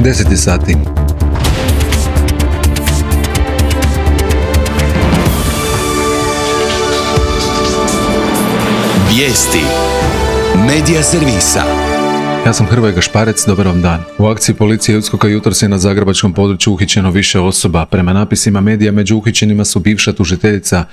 10 sati. Vijesti Medija servisa. Ja sam Hrvoje Gašparec, dobar vam dan. U akciji policije USKOK-a jutros je na zagrebačkom području uhićeno više osoba. Prema napisima medija među uhićenima su bivša tužiteljica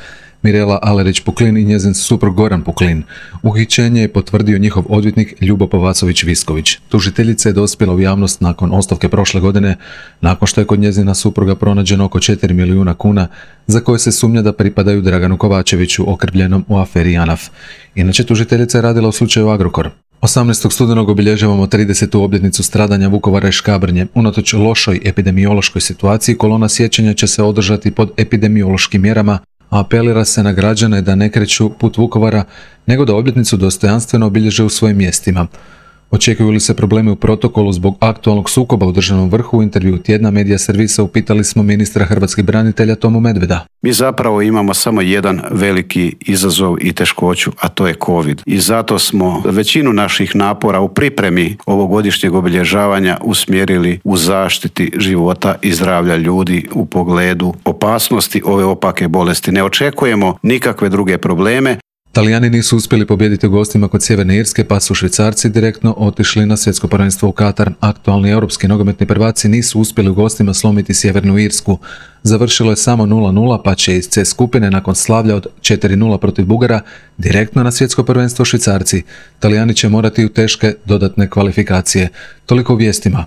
Mirela Alerić-Puklin i njezin suprug Goran Puklin. Uhićenje je potvrdio njihov odvjetnik Ljubo Povacović-Visković. Tužiteljica je dospjela u javnost nakon ostavke prošle godine, nakon što je kod njezina supruga pronađeno oko 4 milijuna kuna za koje se sumnja da pripadaju Draganu Kovačeviću, okrivljenom u aferi JANAF. Inače, tužiteljica je radila u slučaju Agrokor. 18. studenog obilježavamo 30. obljetnicu stradanja Vukovara i Škabrnje. Unatoč lošoj epidemiološkoj situaciji, kolona sjećanja će se održati pod epidemiološkim mjerama, a apelira se na građane da ne kreću put Vukovara, nego da obljetnicu dostojanstveno obilježe u svojim mjestima. Očekuju li se problemi u protokolu zbog aktualnog sukoba u državnom vrhu? U intervju Tjedna Medija servisa upitali smo ministra hrvatskih branitelja Tomu Medveda. Mi zapravo imamo samo jedan veliki izazov i teškoću, a to je COVID. I zato smo većinu naših napora u pripremi ovogodišnjeg obilježavanja usmjerili u zaštiti života i zdravlja ljudi u pogledu opasnosti ove opake bolesti. Ne očekujemo nikakve druge probleme. Talijani nisu uspjeli pobijediti u gostima kod Sjeverne Irske, pa su Švicarci direktno otišli na svjetsko prvenstvo u Katar. Aktualni europski nogometni prvaci nisu uspjeli u gostima slomiti Sjevernu Irsku. Završilo je samo 0-0, pa će iz C skupine nakon slavlja od 4-0 protiv Bugara direktno na svjetsko prvenstvo Švicarci. Talijani će morati u teške dodatne kvalifikacije. Toliko u vijestima.